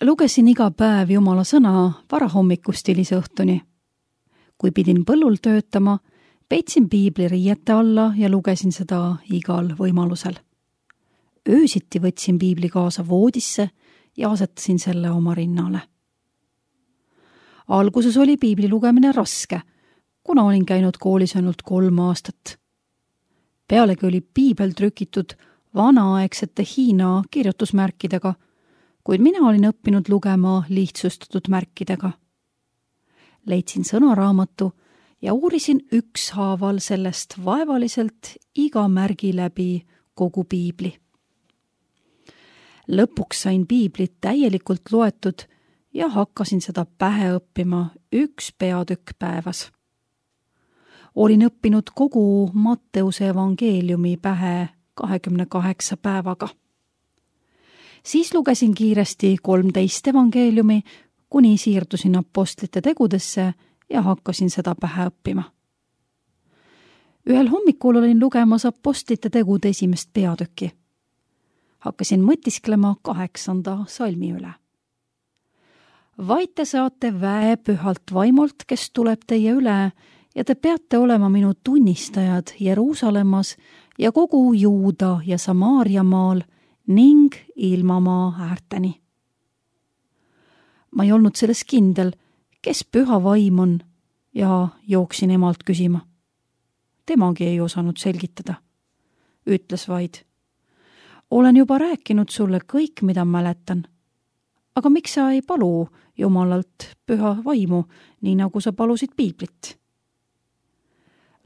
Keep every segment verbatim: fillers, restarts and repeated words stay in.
Lugesin iga päev Jumala sõna varahommikust hilise õhtuni. Kui pidin põllul töötama, peitsin piibli riiete alla ja lugesin seda igal võimalusel. Öösiti võtsin piibli kaasa voodisse ja asetasin selle oma rinnale. Alguses oli piibli lugemine raske, kuna olin käinud koolis ainult kolm aastat. Pealegi oli piibel trükitud vanaaegsete Hiina kirjutusmärkidega, kuid mina olin õppinud lugema lihtsustatud märkidega. Leidsin sõnaraamatu ja uurisin ükshaaval sellest vaevaliselt iga märgi läbi kogu piibli. Lõpuks sain piiblit täielikult loetud ja hakkasin seda pähe õppima üks peatükk päevas. Olin õppinud kogu Matteuse evangeeliumi pähe kahekümne kaheksa päevaga. Siis lugesin kiiresti kolmteist evangeeliumi, kuni siirdusin apostlite tegudesse ja hakkasin seda pähe õppima. Ühel hommikul olin lugemas apostlite tegude esimest peatükki. Hakkasin mõtisklema kaheksanda salmi üle. Vaid te saate väe pühalt vaimult, kes tuleb teie üle, ja te peate olema minu tunnistajad Jeruusalemmas ja kogu Juuda ja Samaaria maal ning ilmamaa äärteni. Ma ei olnud selles kindel, kes püha vaim on, ja jooksin emalt küsima. Temagi ei osanud selgitada. Ütles vaid: olen juba rääkinud sulle kõik, mida mäletan. Aga miks sa ei palu Jumalalt püha vaimu, nii nagu sa palusid piiblit?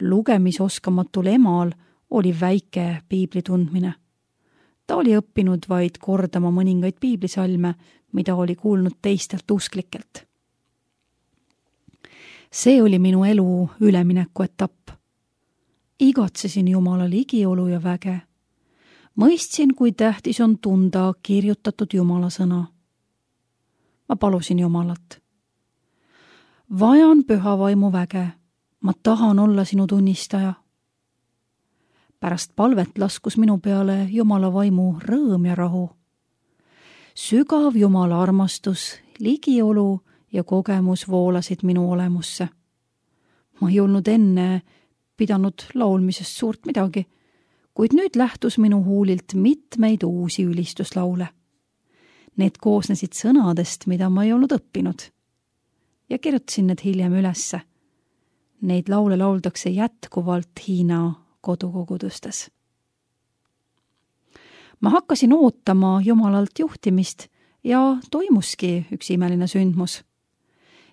Lugemisoskamatul emal oli väike piibli tundmine. Ta oli õppinud vaid kordama mõningaid piiblisalme, mida oli kuulnud teistelt usklikelt. See oli minu elu ülemineku etapp. Igatsesin Jumala ligiolu ja väge. Mõistsin, kui tähtis on tunda kirjutatud Jumala sõna. Ma palusin Jumalat. Vajan püha vaimu väge. Ma tahan olla sinu tunnistaja. Pärast palvet laskus minu peale Jumala vaimu rõõm ja rahu. Sügav Jumala armastus, ligiolu ja kogemus voolasid minu olemusse. Ma ei olnud enne pidanud laulmisest suurt midagi, kuid nüüd lähtus minu huulilt mitmeid uusi ülistuslaule. Need koosnesid sõnadest, mida ma ei olnud õppinud. Ja kirjutasin need hiljem ülesse. Neid laule lauldakse jätkuvalt Hiina kodukogudustes. Ma hakkasin ootama Jumalalt juhtimist ja toimuski üks imeline sündmus.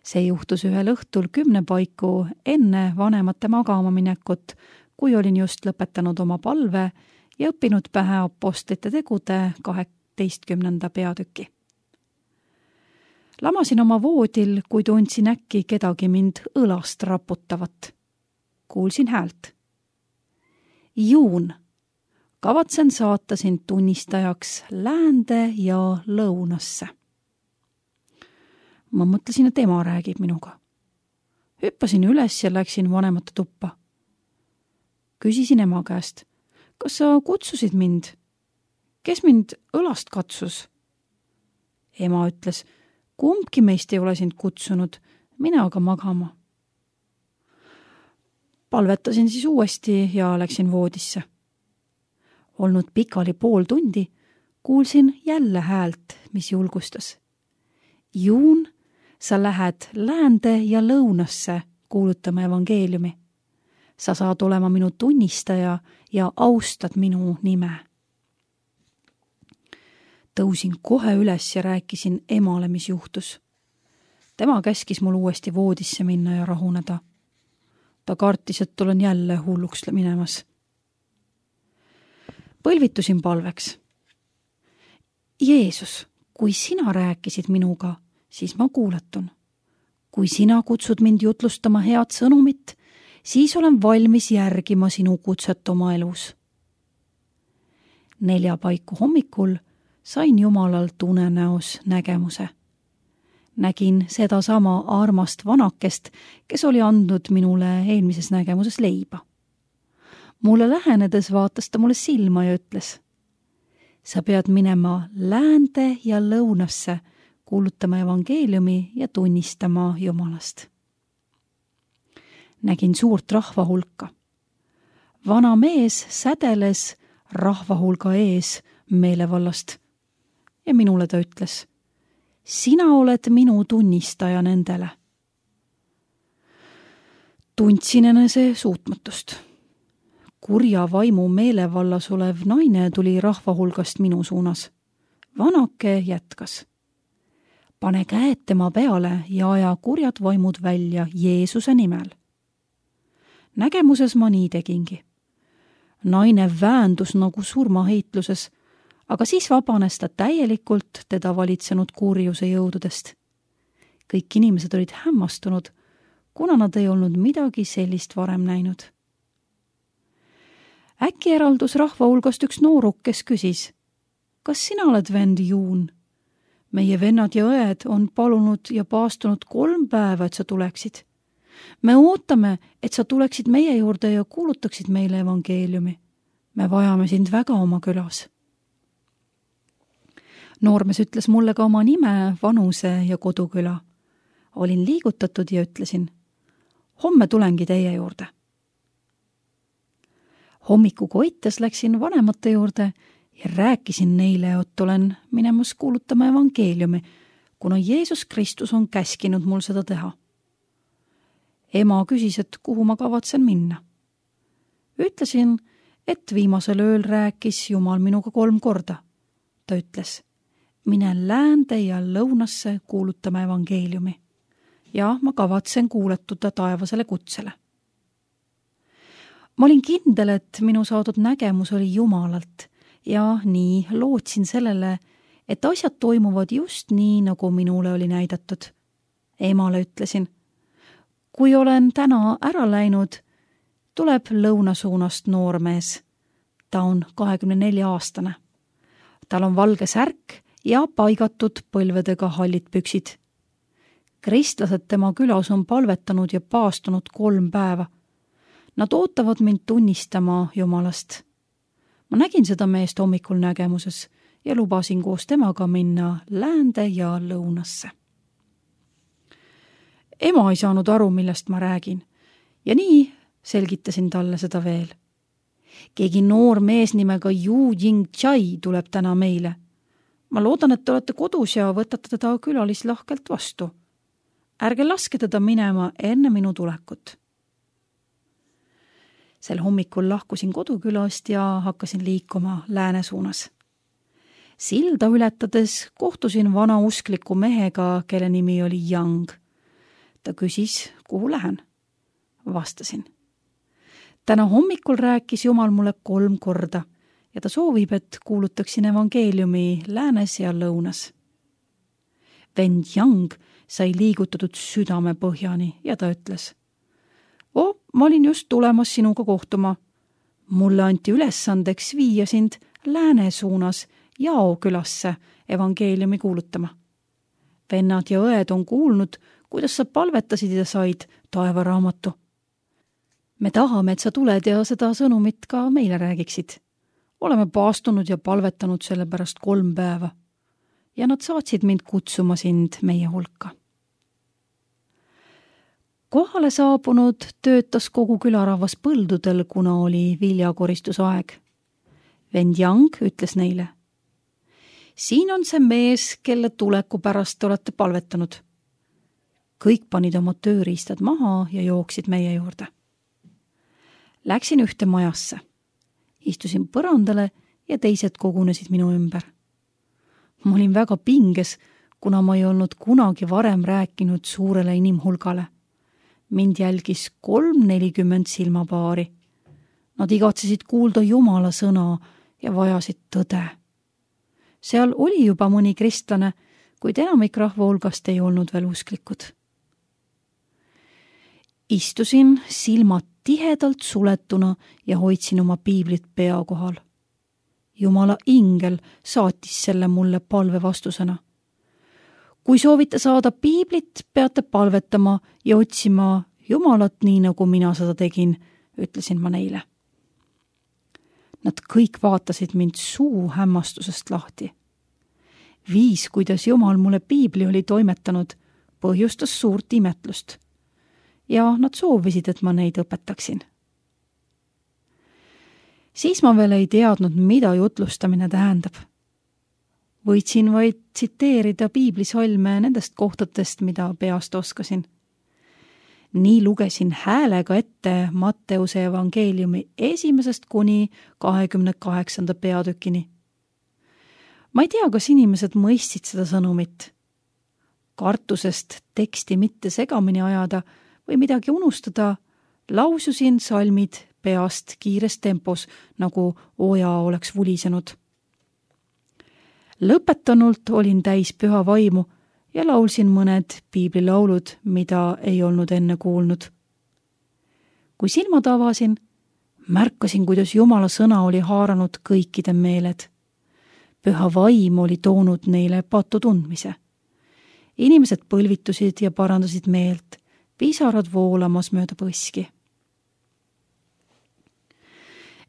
See juhtus ühel õhtul kümne paiku enne vanemate magama minekut, kui olin just lõpetanud oma palve ja õppinud pähe apostlite tegude kaheteistkümnenda peatüki. Lamasin oma voodil, kui tundsin äkki kedagi mind õlast raputavat. Kuulsin häält. Juun, kavatsen saata sind tunnistajaks läände ja lõunasse. Ma mõtlesin, et ema räägib minuga. Hüppasin üles ja läksin vanemate tuppa. Küsisin ema käest, kas sa kutsusid mind? Kes mind õlast katsus? Ema ütles, kumbki meist ei ole sind kutsunud, mine aga magama. Palvetasin siis uuesti ja läksin voodisse. Olnud pikali pool tundi, kuulsin jälle häält, mis julgustas. Juun, sa lähed läände ja lõunasse kuulutama evangeeliumi. Sa saad olema minu tunnistaja ja austad minu nime. Tõusin kohe üles ja rääkisin emale, mis juhtus. Tema käskis mul uuesti voodisse minna ja rahuneda. Ta kartis, et olen jälle hulluks minemas. Põlvitusin palveks. Jeesus, kui sina rääkisid minuga, siis ma kuuletun. Kui sina kutsud mind jutlustama head sõnumit, siis olen valmis järgima sinu kutset oma elus. Nelja paiku hommikul sain Jumalalt unenäos nägemuse. Nägin seda sama armast vanakest, kes oli andnud minule eelmises nägemuses leiba. Mulle lähenedes vaatas ta mulle silma ja ütles, sa pead minema läände ja lõunasse, kuulutama evangeeliumi ja tunnistama Jumalast. Nägin suurt rahva hulka. Vana mees sädeles rahva hulga ees meelevallast ja minule ta ütles: sina oled minu tunnistaja nendele. Tundsin enese suutmatust. Kurja vaimu meelevallas olev naine tuli rahva hulgast minu suunas. Vanake jätkas: pane käed tema peale ja aja kurjad vaimud välja Jeesuse nimel. Nägemuses ma nii tegingi. Naine väändus nagu surmaheitluses, aga siis vabanes ta täielikult teda valitsenud kurjuse jõududest. Kõik inimesed olid hämmastunud, kuna nad ei olnud midagi sellist varem näinud. Äkki eraldus rahva hulgast üks nooruk, kes küsis: kas sina oled vend Juun? Meie vennad ja õed on palunud ja paastunud kolm päeva, et sa tuleksid. Me ootame, et sa tuleksid meie juurde ja kuulutaksid meile evangeeliumi. Me vajame sind väga oma külas. Noormees ütles mulle ka oma nime, vanuse ja koduküla. Olin liigutatud ja ütlesin: homme tulengi teie juurde. Hommiku koites läksin vanemate juurde ja rääkisin neile, et olen minemas kuulutama evangeeliumi, kuna Jeesus Kristus on käskinud mul seda teha. Ema küsis, et kuhu ma kavatsen minna. Ütlesin, et viimasel ööl rääkis Jumal minuga kolm korda. Ta ütles: mine läände ja lõunasse kuulutama evangeeliumi. Ja ma kavatsen kuuletuda taevasele kutsele. Ma olin kindel, et minu saadud nägemus oli Jumalalt ja nii lootsin sellele, et asjad toimuvad just nii, nagu minule oli näidatud. Emale ütlesin: kui olen täna ära läinud, tuleb lõunasuunast noormees. Ta on kahekümne nelja aastane. Tal on valge särk ja paigatud põlvedega hallid püksid. Kristlased tema külas on palvetanud ja paastunud kolm päeva. Nad ootavad mind tunnistama Jumalast. Ma nägin seda meest hommikul nägemuses ja lubasin koos temaga minna läände ja lõunasse. Ema ei saanud aru, millest ma räägin, ja nii selgitasin talle seda veel. Keegi noor mees nimega Yu Jing Chai tuleb täna meile. Ma loodan, et te olete kodus ja võtate teda külalislahkelt vastu. Ärge laske teda minema enne minu tulekut. Sel hommikul lahkusin kodukülast ja hakkasin liikuma lääne suunas. Silda ületades kohtusin vana uskliku mehega, kelle nimi oli Yang. Ta küsis, kuhu lähen. Vastasin: täna hommikul rääkis Jumal mulle kolm korda ja ta soovib, et kuulutaksin evangeeliumi läänes ja lõunas. Vend Yang sai liigutatud südame põhjani ja ta ütles: oh, ma olin just tulemas sinuga kohtuma. Mulle anti ülesandeks viia sind lääne suunas Jao külasse evangeeliumi kuulutama. Vennad ja õed on kuulnud, kuidas sa palvetasid ja said taevaraamatu. Me tahame, et sa tuled ja seda sõnumit ka meile räägiksid. Oleme paastunud ja palvetanud selle pärast kolm päeva ja nad saatsid mind kutsuma sind meie hulka. Kohale saabunud töötas kogu külarahvas põldudel, kuna oli viljakoristusaeg. Vend Yang ütles neile: siin on see mees, kelle tuleku pärast olete palvetanud. Kõik panid oma tööriistad maha ja jooksid meie juurde. Läksin ühte majasse. Istusin põrandale ja teised kogunesid minu ümber. Ma olin väga pinges, kuna ma ei olnud kunagi varem rääkinud suurele inimhulgale. Mind jälgis kolm nelikümmend silmapaari. Nad igatsesid kuulda Jumala sõna ja vajasid tõde. Seal oli juba mõni kristlane, kuid enamik rahva hulgast ei olnud veel usklikud. Istusin silmad tihedalt suletuna ja hoidsin oma piiblit pea kohal. Jumala ingel saatis selle mulle palve vastusena. Kui soovite saada piiblit, peate palvetama ja otsima Jumalat nii, nagu mina seda tegin, ütlesin ma neile. Nad kõik vaatasid mind suu hämmastusest lahti. Viis, kuidas Jumal mulle piibli oli toimetanud, põhjustas suurt imetlust. Ja nad soovisid, et ma neid õpetaksin. Siis ma veel ei teadnud, mida jutlustamine tähendab. Võitsin vaid tsiteerida piiblisalme nendest kohtadest, mida peast oskasin. Nii lugesin häälega ette Matteuse evangeeliumi esimesest kuni kahekümne kaheksanda peatükini. Ma ei tea, kas inimesed mõistsid seda sõnumit. Kartusest teksti mitte segamini ajada või midagi unustada, laususin salmid peast kiires tempos, nagu oja oleks vulisenud. Lõpetanult olin täis püha vaimu ja laulsin mõned piiblilaulud, mida ei olnud enne kuulnud. Kui silmad avasin, märkasin, kuidas Jumala sõna oli haaranud kõikide meeled. Püha vaim oli toonud neile patu tundmise. Inimesed põlvitusid ja parandasid meelt, pisarad voolamas mööda põski.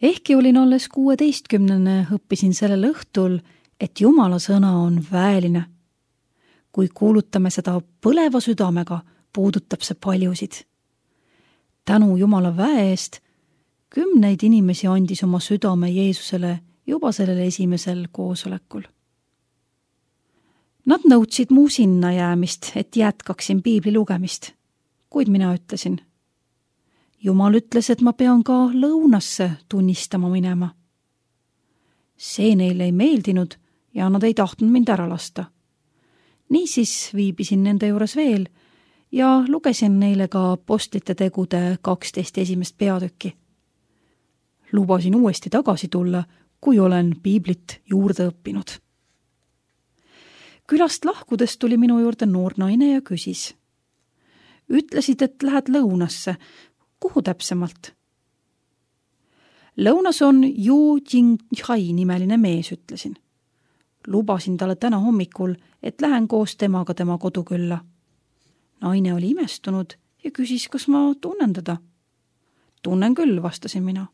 Ehkki olin alles kuueteistkümnene, õppisin sellel õhtul, et Jumala sõna on väeline. Kui kuulutame seda põleva südamega, puudutab see paljusid. Tänu Jumala väe eest kümneid inimesi andis oma südame Jeesusele juba sellel esimesel koosolekul. Nad nõudsid mu sinna jäämist, et jätkaksin piibli lugemist, kuid mina ütlesin. Jumal ütles, et ma pean ka lõunasse tunnistama minema. See neile ei meeldinud ja nad ei tahtnud mind ära lasta. Niisiis viibisin nende juures veel ja lugesin neile ka Apostlite tegude kaksteist esimest peatükki. Lubasin uuesti tagasi tulla, kui olen piiblit juurde õppinud. Külast lahkudes tuli minu juurde noor naine ja küsis. Ütlesid, et lähed lõunasse. Kuhu täpsemalt? Lõunas on Yu Jingchai nimeline mees, ütlesin. Lubasin talle täna hommikul, et lähen koos temaga tema kodukülla. Naine oli imestunud ja küsis, kas ma tunnen teda. Tunnen küll, vastasin mina.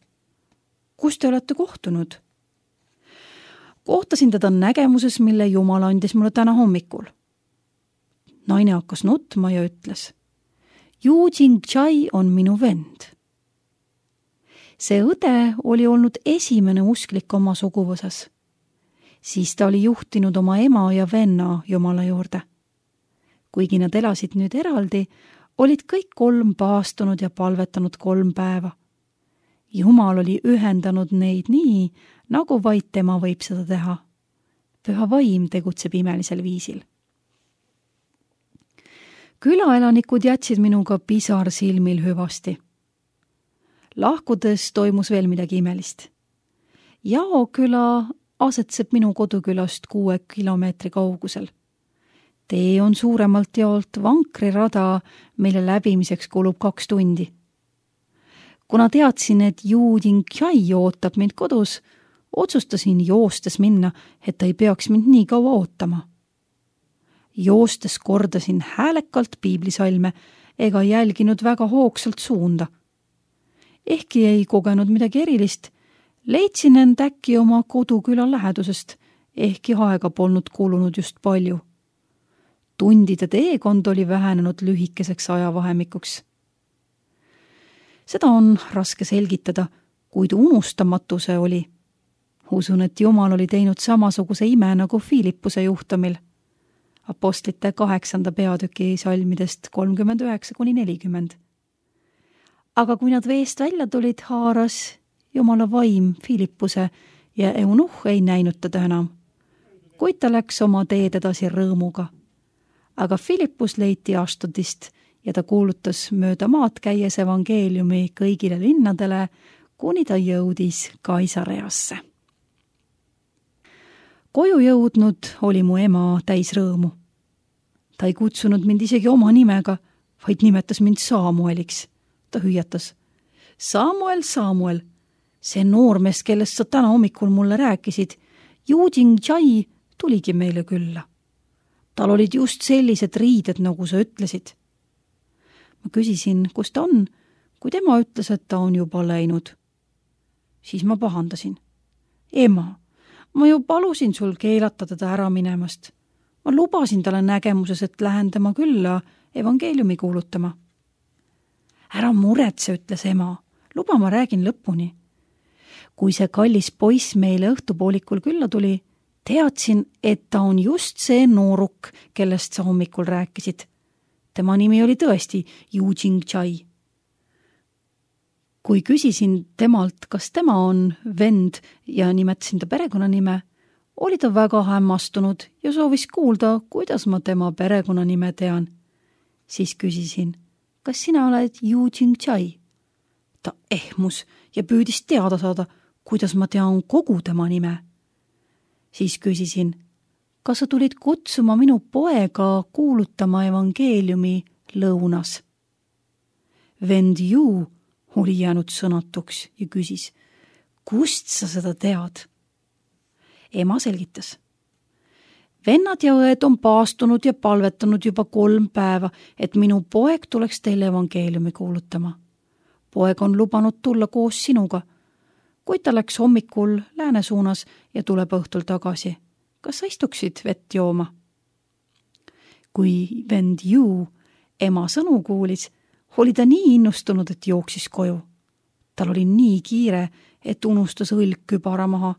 Kus te olete kohtunud? Kohtasin teda nägemuses, mille Jumal andis mulle täna hommikul. Naine hakkas nutma ja ütles. Yu Jingchai on minu vend. See õde oli olnud esimene usklik oma suguvõsas. Siis ta oli juhtinud oma ema ja venna Jumala juurde. Kuigi nad elasid nüüd eraldi, olid kõik kolm paastunud ja palvetanud kolm päeva. Jumal oli ühendanud neid nii, nagu vaid tema võib seda teha. Püha vaim tegutseb imelisel viisil. Külaelanikud jätsid minuga pisar silmil hüvasti. Lahkudes toimus veel midagi imelist. Jao küla asetseb minu kodukülast kuue kilomeetri kaugusel. Tee on suuremalt jaolt vankrirada, mille läbimiseks kulub kaks tundi. Kuna teadsin, et Yu Jingchai ootab mind kodus, otsustasin joostes minna, et ta ei peaks mind nii kaua ootama. Joostes kordasin häälekalt piiblisalme ega jälginud väga hoogsalt suunda. Ehkki ei kogenud midagi erilist, leidsin end äkki oma koduküla lähedusest, ehkki aega polnud kulunud just palju. Tundide teekond oli vähenenud lühikeseks ajavahemikuks. Seda on raske selgitada, kuid unustamatuse oli. Usun, et Jumal oli teinud samasuguse ime nagu Philippuse juhtumil. Apostlite kaheksanda peatüki salmidest kolmkümmend üheksa kuni nelikümmend. Aga kui nad veest välja tulid, haaras Jumala vaim Philippuse ja eunuh ei näinud teda enam. Kuid ta läks oma teed edasi rõõmuga. Aga Philippus leiti Ashtodist ja ta kuulutas mööda maad käies evangeeliumi kõigile linnadele, kuni ta jõudis Kaisareasse. Koju jõudnud oli mu ema täis rõõmu. Ta ei kutsunud mind isegi oma nimega, vaid nimetas mind Samueliks. Ta hüüatas. Samuel, Samuel, see noormees, kellest sa täna hommikul mulle rääkisid, Yu Jingchai tuligi meile külla. Tal olid just sellised riided, nagu sa ütlesid. Ma küsisin, kus ta on, kui tema ütles, et ta on juba läinud. Siis ma pahandasin. Ema, Ma ju palusin sul keelata teda ära minemast. Ma lubasin talle nägemuses, et lähen tema külla evangeeliumi kuulutama. Ära muretse, ütles ema. Luba ma räägin lõpuni. Kui see kallis poiss meile õhtupoolikul külla tuli, teadsin, et ta on just see nooruk, kellest sa hommikul rääkisid. Tema nimi oli tõesti Yu Jingchai. Kui küsisin temalt, kas tema on vend ja nimetasin ta perekonnanime, oli ta väga hämmastunud ja soovis kuulda, kuidas ma tema perekonnanime tean. Siis küsisin, kas sina oled Yu Jingchai? Ta ehmus ja püüdis teada saada, kuidas ma tean kogu tema nime. Siis küsisin, kas sa tulid kutsuma minu poega kuulutama evangeeliumi lõunas? Vend Yu oli jäänud sõnatuks ja küsis, kust sa seda tead? Ema selgitas. Vennad ja õed on paastunud ja palvetanud juba kolm päeva, et minu poeg tuleks teile evangeeliumi kuulutama. Poeg on lubanud tulla koos sinuga, kuid ta läks hommikul lääne suunas ja tuleb õhtul tagasi. Kas sa istuksid vett jooma? Kui vend Yu ema sõnu kuulis, oli ta nii innustunud, et jooksis koju. Tal oli nii kiire, et unustas õlg kübara maha.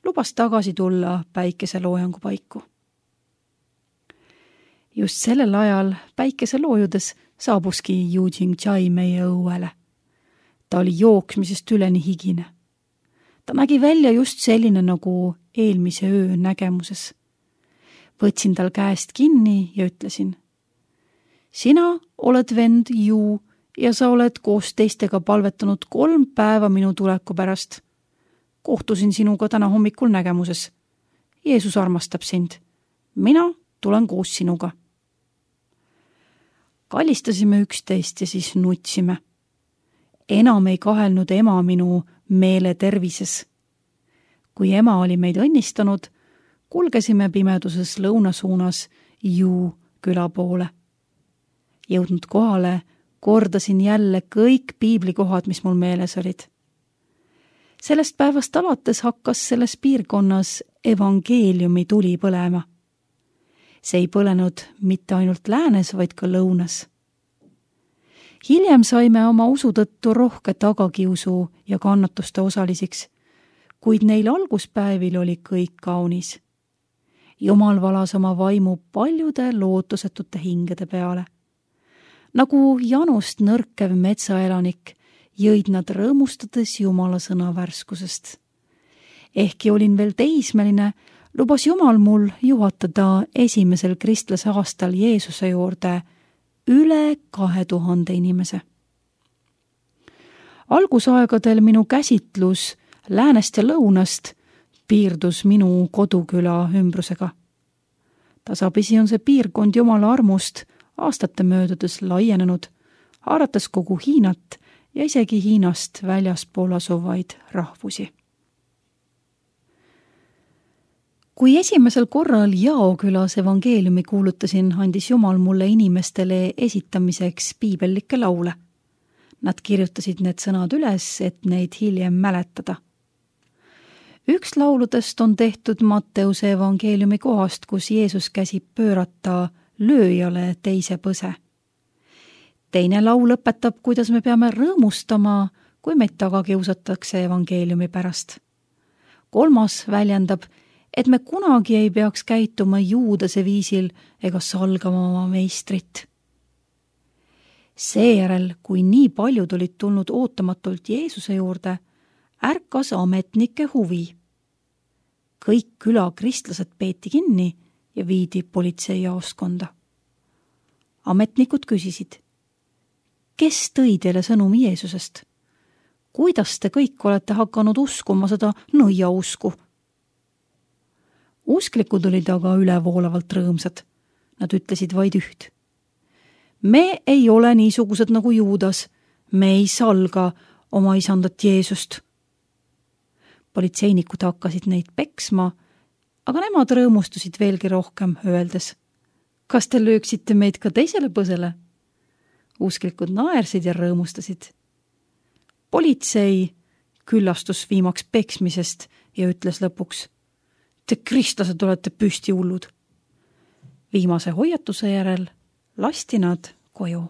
Lubas tagasi tulla päikeseloojangu paiku. Just sellel ajal päikeseloojudes saabuski Yu Jingchai meie õuele. Ta oli jooksmisest üleni higine. Ta nägi välja just selline nagu eelmise öö nägemuses. Võtsin tal käest kinni ja ütlesin, sina oled vend Yu ja sa oled koos teistega palvetanud kolm päeva minu tuleku pärast. Kohtusin sinuga täna hommikul nägemuses. Jeesus armastab sind. Mina tulen koos sinuga. Kallistasime üksteist ja siis nutsime. Enam ei kahelnud ema minu meele tervises. Kui ema oli meid õnnistanud, kulgesime pimeduses lõunasuunas Yu küla poole. Jõudnud kohale, kordasin jälle kõik piiblikohad, mis mul meeles olid. Sellest päevast alates hakkas selles piirkonnas evangeeliumi tuli põlema. See ei põlenud mitte ainult läänes, vaid ka lõunas. Hiljem saime oma usu tõttu rohke tagakiusu ja kannatuste osalisiks, kuid neil alguspäevil oli kõik kaunis. Jumal valas oma vaimu paljude lootusetute hingede peale. Nagu janust nõrkev metsaelanik, jõid nad rõõmustades Jumala sõna värskusest. Ehkki olin veel teismeline, lubas Jumal mul juhatada esimesel kristlase aastal Jeesuse juurde üle kahe tuhande inimese. Algusaegadel minu käsitlus läänest ja lõunast piirdus minu koduküla ümbrusega. Tasapisi on see piirkond Jumala armust aastate möödudes laienenud, haarates kogu Hiinat ja isegi Hiinast väljaspool asuvaid rahvusi. Kui esimesel korral Jao külas evangeeliumi kuulutasin, andis Jumal mulle inimestele esitamiseks piibellikke laule. Nad kirjutasid need sõnad üles, et neid hiljem mäletada. Üks lauludest on tehtud Matteuse evangeeliumi kohast, kus Jeesus käsib pöörata lööjale teise põse. Teine laul õpetab, kuidas me peame rõõmustama, kui meid taga kiusatakse evangeeliumi pärast. Kolmas väljendab, et me kunagi ei peaks käituma Juudase viisil ega salgama oma meistrit. Seejärel, kui nii paljud olid tulnud ootamatult Jeesuse juurde, ärkas ametnike huvi. Kõik küla kristlased peeti kinni ja viidi politseijaoskonda. Ametnikud küsisid, kes tõi teile sõnumi Jeesusest? Kuidas te kõik olete hakanud uskuma seda nõiausku? Usklikud olid aga ülevoolavalt rõõmsad. Nad ütlesid vaid üht. Me ei ole niisugused nagu Juudas, me ei salga oma isandat Jeesust. Politseinikud hakkasid neid peksma, aga nemad rõõmustusid veelgi rohkem, öeldes, kas te lööksite meid ka teisele põsele? Usklikud naersid ja rõõmustasid. Politsei küllastus viimaks peksmisest ja ütles lõpuks: Te kristlased olete püsti hullud. Viimase hoiatuse järel lasti nad koju.